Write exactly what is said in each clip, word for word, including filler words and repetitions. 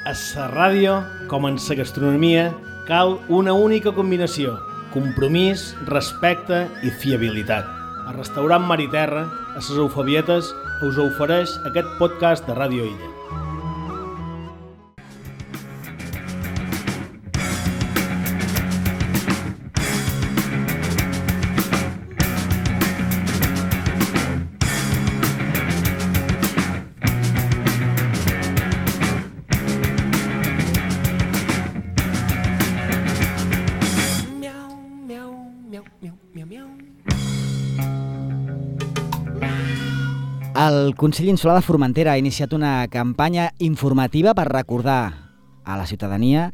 A la ràdio, com en la gastronomia, cal una única combinació: compromís, respecte i fiabilitat. El restaurant Mar i Terra, a les Eufebietes, us ofereix aquest podcast de Ràdio Illa. El Consell Insular de Formentera ha iniciat una campanya informativa per recordar a la ciutadania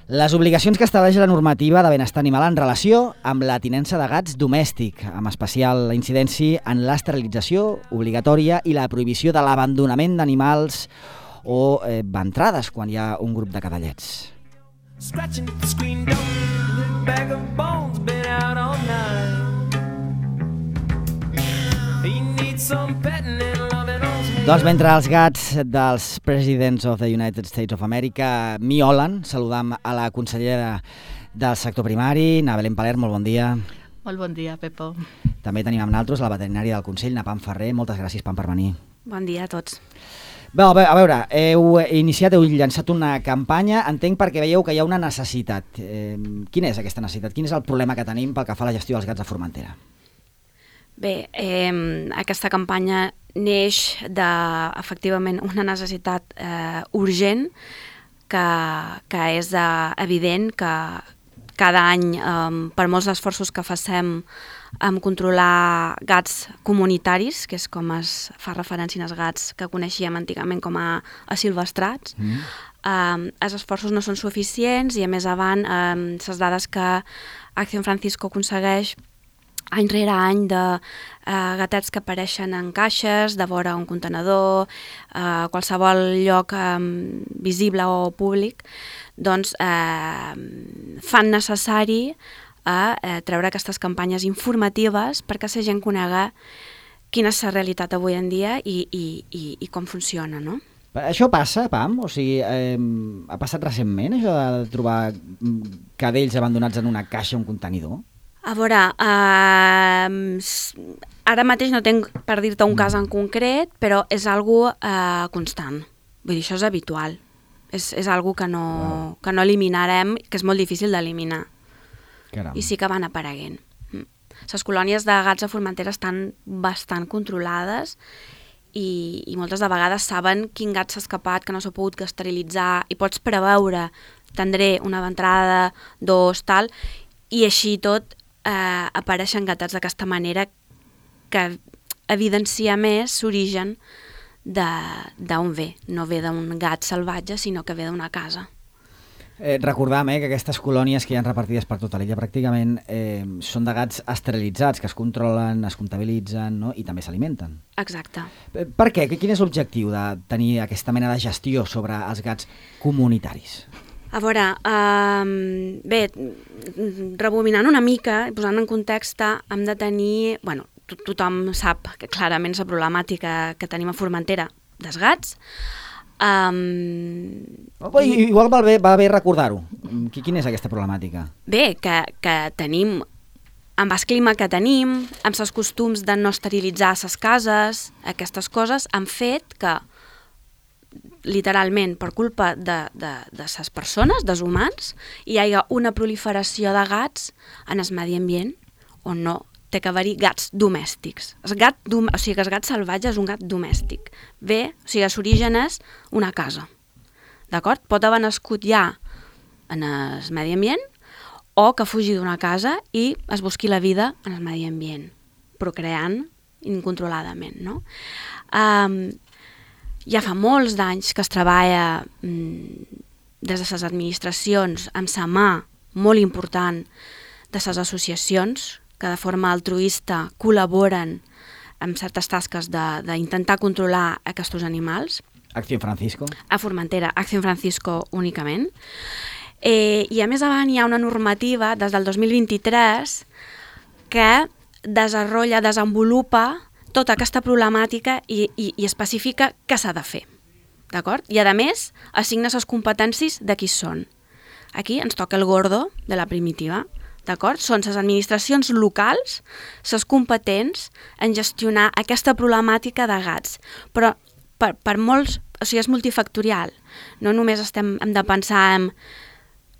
les obligacions que estableix la normativa de benestar animal en relació amb la tinença de gats domèstic, amb especial incidència en l'esterilització obligatòria i la prohibició de l'abandonament d'animals o eh, ventrades quan hi ha un grup de cadallets. Doncs mentre els gats dels Presidents of the United States of America miolen, saludam a la consellera del sector primari, na Belén Paler, molt bon dia. Molt bon dia, Pepo. També tenim amb nosaltres la veterinària del Consell, na Pam Ferrer. Moltes gràcies, Pam, per venir. Bon dia a tots. Bé, a veure, heu iniciat, heu llançat una campanya, entenc perquè veieu que hi ha una necessitat. Eh, quina és aquesta necessitat? Quin és el problema que tenim pel que fa a la gestió dels gats a Formentera? Bé, eh, aquesta campanya neix de, efectivament, una necessitat eh, urgent que, que és eh, evident que cada any, eh, per molts esforços que facem en controlar gats comunitaris, que és com es fa referència als gats que coneixíem antigament com a, a silvestrats, mm. eh, els esforços no són suficients i a més avant eh, les dades que Acción Francisco aconsegueix any rere any de eh, gatets que apareixen en caixes, de vora un contenedor, eh, qualsevol lloc eh, visible o públic, doncs eh, fan necessari a eh, treure aquestes campanyes informatives perquè la gent conega quina és la realitat avui en dia i, i, i, i com funciona, no? Això passa, Pam? O sigui, eh, ha passat recentment, això de trobar cadells abandonats en una caixa o un contenidor? A veure, eh, ara mateix no tinc per dir-te un cas en concret, però és algo eh, constant. Vull dir, això és habitual. És, és algo que no, wow. que no eliminarem, que és molt difícil d'eliminar. Caram. I sí que van apareguent. Les colònies de gats a Formentera estan bastant controlades i, i moltes de vegades saben quin gat s'ha escapat, que no s'ha pogut esterilitzar, i pots preveure, tindré una ventrada, dos, tal, i així tot eh, apareixen gatats d'aquesta manera que evidencia més l'origen d'on ve. No ve d'un gat salvatge, sinó que ve d'una casa. Eh, recordam eh, que aquestes colònies que hi ha repartides per tota l'illa pràcticament eh, són de gats esterilitzats, que es controlen, es comptabilitzen, no? I també s'alimenten. Exacte. Eh, per què? Quin és l'objectiu de tenir aquesta mena de gestió sobre els gats comunitaris? A veure, eh, bé, rebobinant una mica i posant en context, hem de tenir, bueno, to tothom sap que clarament la problemàtica que tenim a Formentera dels gats. Um, oh, i, igual va bé, va bé recordar-ho. Quina és aquesta problemàtica? Bé, que, que tenim, amb el clima que tenim, amb els costums de no esterilitzar les cases, aquestes coses han fet que literalment per culpa de, de, de les persones, dels humans, hi ha una proliferació de gats en el medi ambient on no té que haver-hi gats domèstics. El gat, o sigui que el gat salvatge és un gat domèstic. Bé, o sigui, l'origen és una casa. D'acord? Pot haver nascut ja en el medi ambient o que fugi d'una casa i es busqui la vida en el medi ambient, procreant incontroladament, no? Um, Ja fa molts d'anys que es treballa mmm, des de les administracions amb la mà molt important de les associacions que de forma altruista col·laboren amb certes tasques d'intentar controlar aquests animals. Acción Francisco. A Formentera, Acción Francisco únicament. Eh, I a més avant hi ha una normativa des del dos mil vint-i-tres que desenvolupa, desenvolupa tota aquesta problemàtica i, i, i especifica què s'ha de fer. d'acord? I, a més, assigna les competències de qui són. Aquí ens toca el gordo de la primitiva, d'acord? Són les administracions locals, les competents en gestionar aquesta problemàtica de gats, però per, per molts, o sigui, és multifactorial. No només estem, hem de pensar en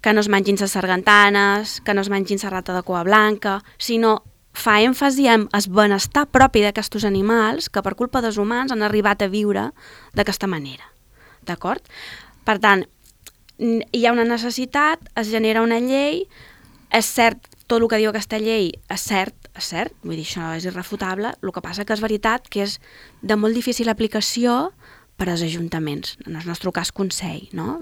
que no es mengin les sargantanes, que no es mengin la rata de cua blanca, sinó fa èmfasi en el benestar propi d'aquests animals que per culpa dels humans han arribat a viure d'aquesta manera, d'acord? Per tant, hi ha una necessitat, es genera una llei, és cert, tot el que diu aquesta llei és cert, és cert, vull dir, això és irrefutable, el que passa que és veritat que és de molt difícil aplicació per als ajuntaments, en el nostre cas Consell, no?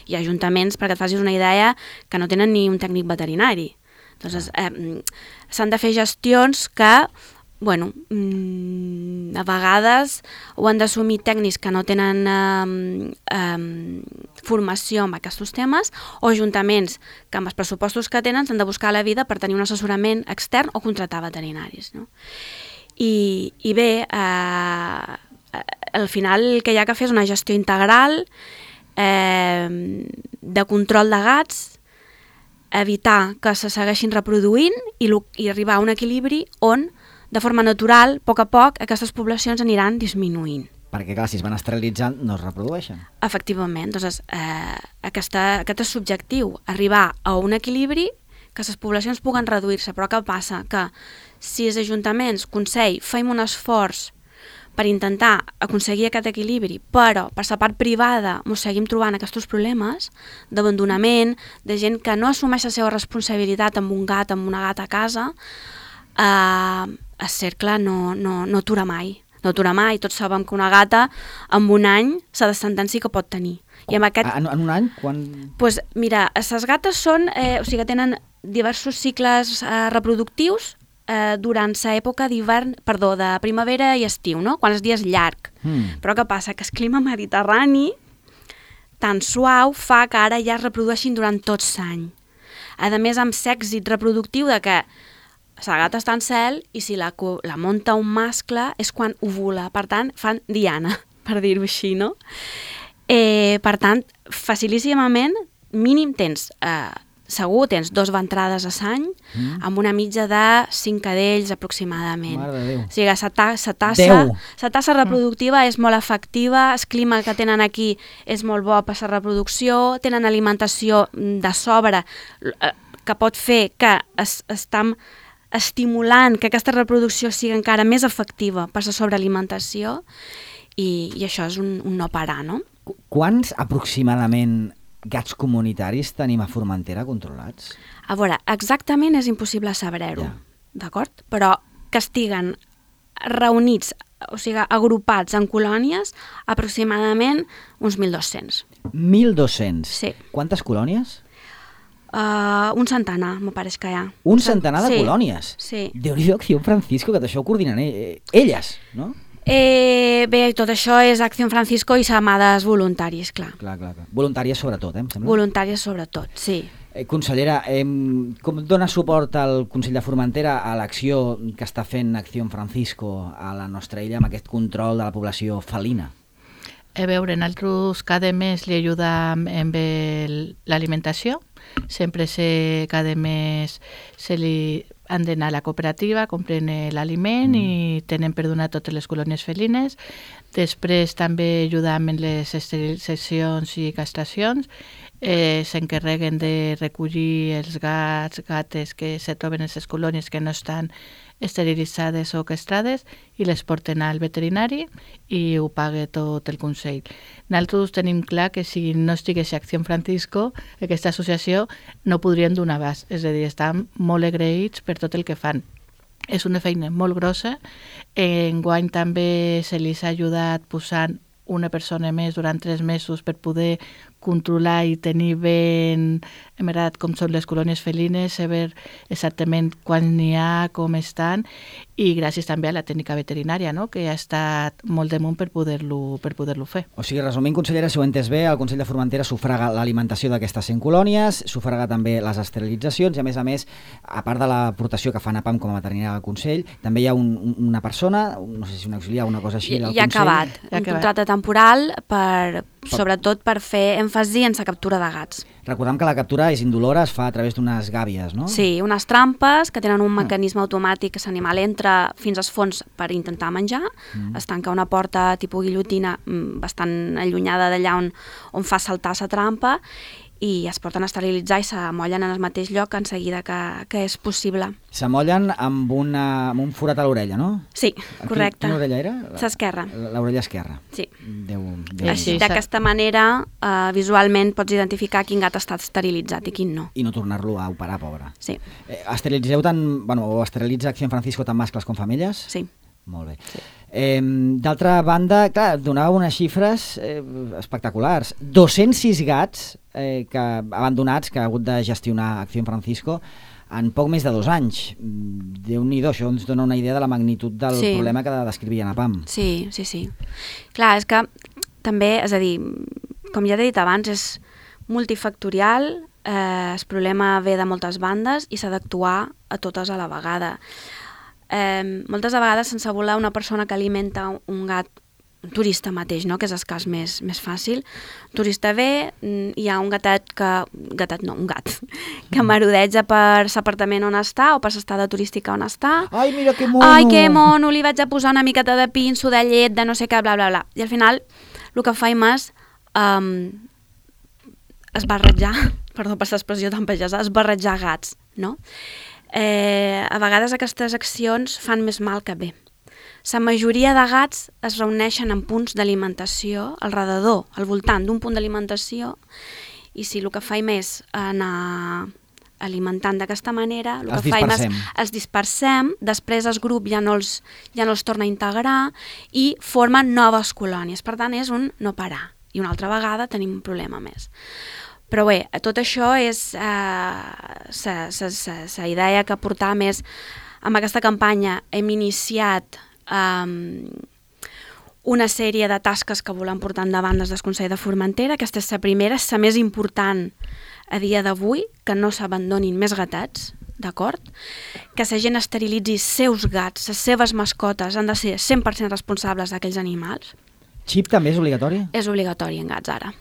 Hi ha ajuntaments, perquè et facis una idea, que no tenen ni un tècnic veterinari. Doncs eh, s'han de fer gestions que, bueno, mmm, a vegades ho han d'assumir tècnics que no tenen eh, eh, formació en aquests temes, o ajuntaments que amb els pressupostos que tenen s'han de buscar la vida per tenir un assessorament extern o contractar veterinaris, no? I, i bé, eh, al final el que hi ha que fer és una gestió integral eh, de control de gats, evitar que se segueixin reproduint i, i arribar a un equilibri on, de forma natural, a poc a poc, aquestes poblacions aniran disminuint. Perquè, clar, si es van esterilitzant, no es reprodueixen. Efectivament. Doncs, eh, aquesta, aquest és subjectiu, arribar a un equilibri, que les poblacions puguen reduir-se. Però què passa? Que si els ajuntaments, Consell, fem un esforç per intentar aconseguir aquest equilibri, però per la part privada ens seguim trobant aquests problemes d'abandonament, de gent que no assumeix la seva responsabilitat amb un gat, amb una gata a casa, eh, el cercle no, no, no atura mai. No atura mai. Tots sabem que una gata en un any la descendència que pot tenir. I amb aquest... En, en un any? Quan... Pues, mira, les gates són, eh, o sigui, tenen diversos cicles eh, reproductius eh, durant l'època d'hivern, perdó, de primavera i estiu, no? Quan el dia és llarg. Mm. Però què passa? Que el clima mediterrani tan suau fa que ara ja es reprodueixin durant tot l'any. A més, amb l'èxit reproductiu de que la gata està en cel i si la, la munta un mascle és quan ovula. Per tant, fan diana, per dir-ho així, no? Eh, per tant, facilíssimament, mínim tens... Eh, segur, tens dos ventrades a l'any, mm. amb una mitja de cinc cadells aproximadament. Mare de Déu. O sigui, la ta tassa, la tassa reproductiva mm. és molt efectiva, el clima que tenen aquí és molt bo per la reproducció, tenen alimentació de sobre que pot fer que es, estan estimulant que aquesta reproducció sigui encara més efectiva per la sobrealimentació i, i això és un, un no parar, no? Quants aproximadament gats comunitaris tenim a Formentera controlats? A veure, exactament és impossible saber-ho, ja. D'acord? Però que estiguen reunits, o sigui, agrupats en colònies, aproximadament uns mil dos-cents. mil dos-cents? Sí. Quantes colònies? Uh, un centenar, me pareix que hi ha. Un centenar de sí. colònies? Sí. Déu-n'hi-do, Acció Francisco, que això ho coordinen eh, elles, no? Eh, bé, tot això és Acció Francisco i s'amades voluntaris, clar. Clar, clar, clar. Voluntàries sobretot, eh, em sembla? Voluntàries sobretot, sí. Eh, consellera, eh, com dona suport al Consell de Formentera a l'acció que està fent Acció Francisco a la nostra illa amb aquest control de la població felina? A veure, nosaltres cada mes li ajudam amb l'alimentació. Sempre se, cada mes se li han d'anar a la cooperativa, compren l'aliment mm. i tenen per donar totes les colònies felines. Després també ajudam en les esterilitzacions i castracions. Eh, s'encarreguen de recollir els gats, gates que se troben en les colònies que no estan esterilitzades o castrades i les porten al veterinari i ho paga tot el Consell. Nosaltres tenim clar que si no estigués Acció Francisco, aquesta associació no podrien donar abast, és a dir, estan molt agraïts per tot el que fan. És una feina molt grossa. Enguany també se li ha ajudat posant una persona més durant tres mesos per poder controlar i tenir ben emerat com són les colònies felines, saber exactament quan n'hi ha, com estan, i gràcies també a la tècnica veterinària, no?, que ha estat molt damunt per poder-lo per poder-lo fer. O sigui, resumint, consellera, si ho he entès bé, el Consell de Formentera sufraga l'alimentació d'aquestes cent colònies, sufraga també les esterilitzacions i, a més a més, a part de l'aportació que fa NAPAM com a veterinària del Consell, també hi ha un, una persona, no sé si un auxiliar o una cosa així, del ja Consell. Acabat, un contracte temporal temporal, per, sobretot per fer èmfasi en la captura de gats. Recordem que la captura és indolora, es fa a través d'unes gàbies, no? Sí, unes trampes que tenen un mecanisme automàtic que l'animal entra fins als fons per intentar menjar, mm. es tanca una porta tipus guillotina bastant allunyada d'allà on, on fa saltar la trampa i es porten a esterilitzar i s'amollen en el mateix lloc en seguida que, que és possible. S'amollen amb, una, amb un forat a l'orella, no? Sí, correcte. Quina orella era? L'esquerra. L'orella esquerra. Sí. Déu, Déu Així, d'aquesta manera, eh, visualment pots identificar quin gat ha estat esterilitzat i quin no. I no tornar-lo a operar, pobre. Sí. Eh, esterilitzeu tant, bueno, o esterilitza Acción Francisco tant mascles com femelles? Sí. Molt bé. Sí. Eh, D'altra banda, clar, donava unes xifres eh, espectaculars. dos-cents sis gats eh, que, abandonats que ha hagut de gestionar Acción Francisco en poc més de dos anys. Déu-n'hi-do, això ens dona una idea de la magnitud del sí. problema que descrivia Napam. Sí, sí, sí. Clar, és que també, és a dir, com ja t'he dit abans, és multifactorial, eh, el problema ve de moltes bandes i s'ha d'actuar a totes a la vegada. Eh, moltes vegades sense voler una persona que alimenta un gat, un turista mateix, no? Que és el cas més, més fàcil. Un turista ve, hi ha un gatet que... gatet no, un gat, que marodeja per l'apartament on està o per l'estada turística on està. Ai, mira que mono! Ai, que mono, li vaig a posar una miqueta de pinso, de llet, de no sé què, bla, bla, bla. I al final el que faim és um, esbarretjar, perdó per l'expressió tan pagesa, esbarretjar gats, no? Eh, a vegades aquestes accions fan més mal que bé. La majoria de gats es reuneixen en punts d'alimentació al redador, al voltant d'un punt d'alimentació, i si el que faim és anar alimentant d'aquesta manera, el els que faim és dispersem. els dispersem, després el grup ja no els, ja no els torna a integrar i formen noves colònies. Per tant, és un no parar. I una altra vegada tenim un problema més. Però bé, tot això és la idea que portàvem és, amb aquesta campanya hem iniciat um, una sèrie de tasques que volem portar endavant des del Consell de Formentera. Aquesta és la primera, és la més important a dia d'avui, que no s'abandonin més gatets, d'acord? Que la gent esterilitzi seus gats, les seves mascotes han de ser cent per cent responsables d'aquells animals. Xip també és obligatori? És obligatori en gats ara.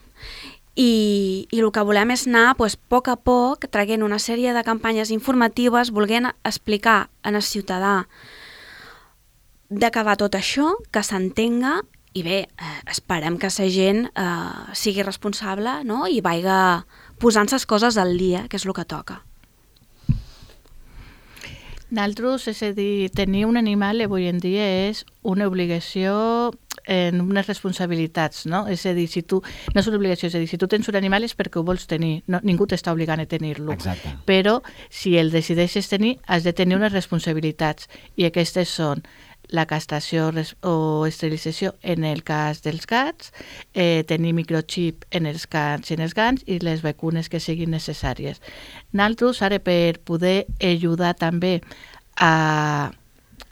I, i el que volem és anar pues, a poc a poc traient una sèrie de campanyes informatives, volent explicar al ciutadà de què va tot això, que s'entenga i bé, eh, esperem que la gent eh, sigui responsable, no? I vaiga posant les coses al dia, que és el que toca. Nosaltres, és a dir, tenir un animal avui en dia és una obligació en unes responsabilitats, no? És a dir, si tu, no és una obligació, és a dir, si tu tens un animal és perquè ho vols tenir, no, ningú t'està obligant a tenir-lo. Exacte. Però si el decideixes tenir, has de tenir unes responsabilitats, i aquestes són la castració o esterilització en el cas dels gats, eh, tenir microxip en els gats i en els gats i les vacunes que siguin necessàries. Nosaltres, ara, per poder ajudar també a,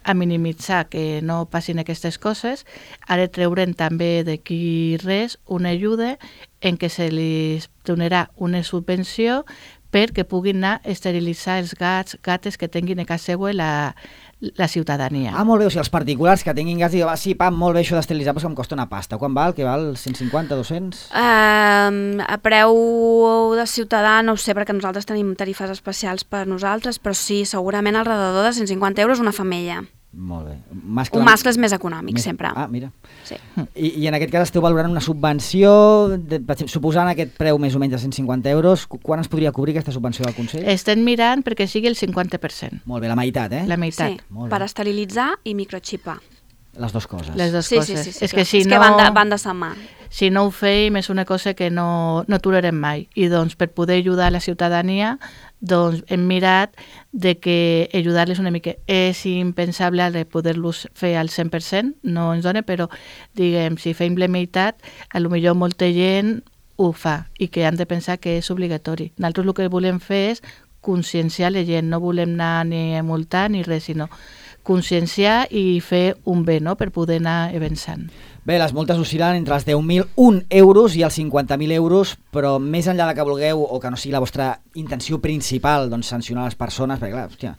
a minimitzar que no passin aquestes coses, ara treure'n també d'aquí res una ajuda en què se li donarà una subvenció perquè puguin anar a esterilitzar els gats, gates que tinguin a casa seva la, la ciutadania. Ah, molt bé, o sigui, els particulars que tinguin gats, diuen, ah, sí, pam, molt bé, això d'esterilitzar, però em costa una pasta. Quan val? Què val? cent cinquanta, dos-cents? Uh, a preu de ciutadà no ho sé, perquè nosaltres tenim tarifes especials per nosaltres, però sí, segurament al redador de cent cinquanta euros una femella. Molt bé. Mascle... Un mascle és més econòmic, més... sempre. Ah, mira. Sí. I, I en aquest cas esteu valorant una subvenció, de, suposant aquest preu més o menys de cent cinquanta euros, quan es podria cobrir aquesta subvenció del Consell? Estem mirant perquè sigui el cinquanta per cent. Molt bé, la meitat, eh? La meitat. Sí, per esterilitzar i microxipar. Les dues coses. Les dues sí, coses. Sí, sí, sí, és que, si és no... que van de, van de sa mà. Si no ho feim és una cosa que no, no aturarem mai. I doncs per poder ajudar la ciutadania doncs hem mirat de que ajudar-les una mica. És impensable de poder-los fer al cent per cent, no ens dona, però diguem, si fem la meitat, a lo millor molta gent ho fa i que han de pensar que és obligatori. Nosaltres el que volem fer és conscienciar la gent, no volem anar ni a multar ni res, sinó conscienciar i fer un bé, no?, per poder anar avançant. Bé, les multes oscil·len entre els deu mil un euros i els cinquanta mil euros, però més enllà de que vulgueu o que no sigui la vostra intenció principal, doncs sancionar les persones, perquè clar, hòstia,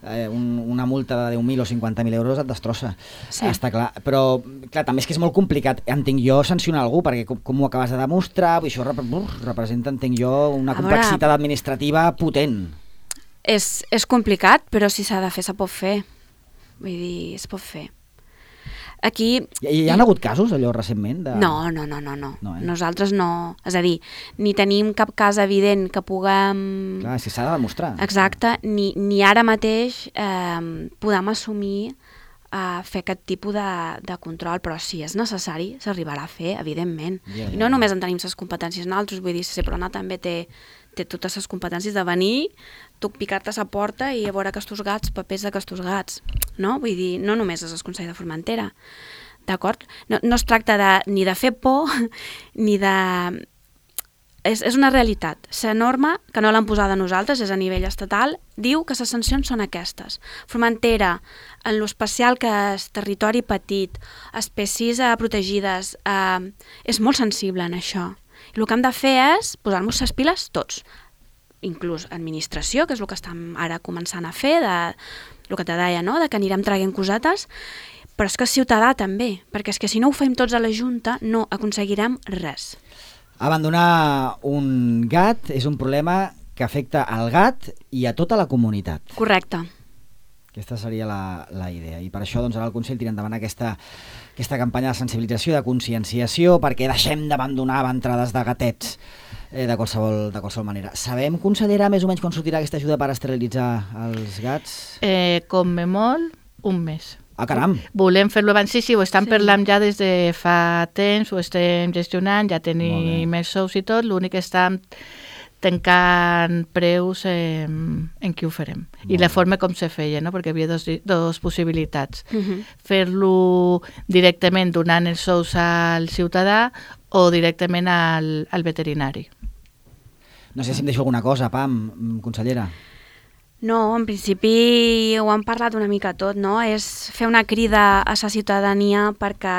eh, un, una multa de deu mil o cinquanta mil euros et destrossa. Sí. Està clar. Però, clar, també és que és molt complicat, entenc jo, sancionar algú, perquè com, com ho acabes de demostrar, això rep representa, entenc jo, una complexitat veure, administrativa potent. És, és complicat, però si s'ha de fer, se pot fer. Vull dir, es pot fer. Aquí... Hi, hi ha hagut casos, allò, recentment? De... No, no, no, no. no. no eh? Nosaltres no. És a dir, ni tenim cap cas evident que puguem... Clar, si s'ha de demostrar. Exacte, ni, ni ara mateix eh, podem assumir eh, fer aquest tipus de, de control, però si és necessari, s'arribarà a fer, evidentment. Ja, ja. I no només en tenim les competències nosaltres, vull dir, Seprona també té, té totes les competències de venir, tu picar-te a la porta i a veure aquests gats, papers d'aquests gats, no? Vull dir, no només és el Consell de Formentera, d'acord? No, no es tracta de, ni de fer por, ni de... És, és una realitat. La norma, que no l'han posada nosaltres, és a nivell estatal, diu que les sancions són aquestes. Formentera, en l'especial que és territori petit, espècies eh, protegides, eh, és molt sensible en això. I el que hem de fer és posar-nos les piles tots, inclús administració, que és el que estem ara començant a fer, de, el que te deia, no? De que anirem traient cosetes, però és que ciutadà també, perquè és que si no ho fem tots a la Junta no aconseguirem res. Abandonar un gat és un problema que afecta al gat i a tota la comunitat. Correcte. Aquesta seria la, la idea. I per això doncs, ara el Consell tira endavant aquesta, aquesta campanya de sensibilització, de conscienciació, perquè deixem d'abandonar entrades de gatets eh, de, qualsevol, de qualsevol manera. Sabem, consellera, més o menys quan sortirà aquesta ajuda per esterilitzar els gats? Eh, com me molt, un mes. Ah, caram! Volem fer-lo abans, sí, sí, ho estan Sí. parlant ja des de fa temps, ho estem gestionant, ja tenim els sous i tot, l'únic que estem tancant preus eh, en qui ho farem. I la forma com se feia, no? Perquè hi havia dos, dos possibilitats. Uh-huh. Fer-lo directament donant els sous al ciutadà o directament al, al veterinari. No sé si em deixo alguna cosa, Pam, consellera. No, en principi ho hem parlat una mica tot, no? És fer una crida a la ciutadania perquè,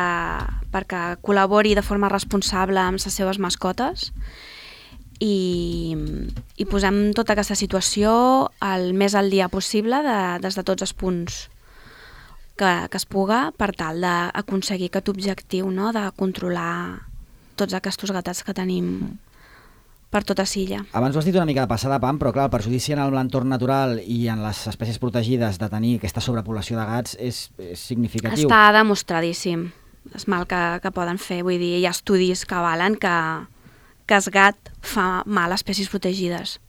perquè col·labori de forma responsable amb les seves mascotes i, i posem tota aquesta situació el més al dia possible de, des de tots els punts que, que es puga per tal d'aconseguir aquest objectiu, no? De controlar tots aquests gatats que tenim per tota Silla. Abans ho has dit una mica de passada, Pam, però clar, el perjudici en l'entorn natural i en les espècies protegides de tenir aquesta sobrepoblació de gats és, és significatiu. Està demostradíssim el mal que, que poden fer. Vull dir, hi ha estudis que avalen que, que el gat fa mal a espècies protegides.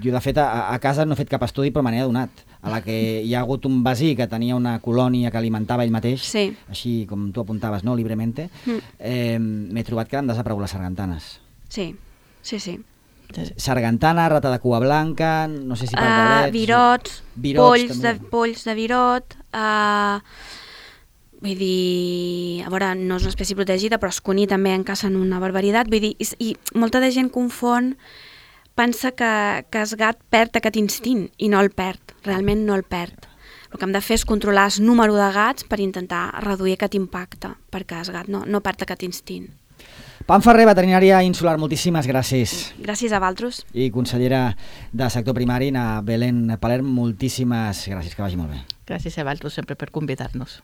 Jo, de fet, a, a casa no he fet cap estudi, però me n'he adonat. A la que hi ha hagut un vecí que tenia una colònia que alimentava ell mateix, Sí. així com tu apuntaves, no, libremente, Mm. eh, m'he trobat que han desaparegut les sargantanes. Sí, sí, sí. Sargantana, rata de cua blanca, no sé si Uh, pardalets... virots, virots polls, de, també. polls de virot... Uh, vull dir, a veure, no és una espècie protegida, però els cuní també en cacen una barbaritat. Vull dir, i, i molta de gent confon, pensa que, que el gat perd aquest instint, i no el perd, realment no el perd. El que hem de fer és controlar el número de gats per intentar reduir aquest impacte, perquè el gat no, no perd aquest instint. Pam Ferrer, veterinària insular, moltíssimes gràcies. Gràcies a vosaltres. I consellera de sector primari, na Belén Palerm, moltíssimes gràcies, que vagi molt bé. Gràcies a vosaltres sempre per convidar-nos.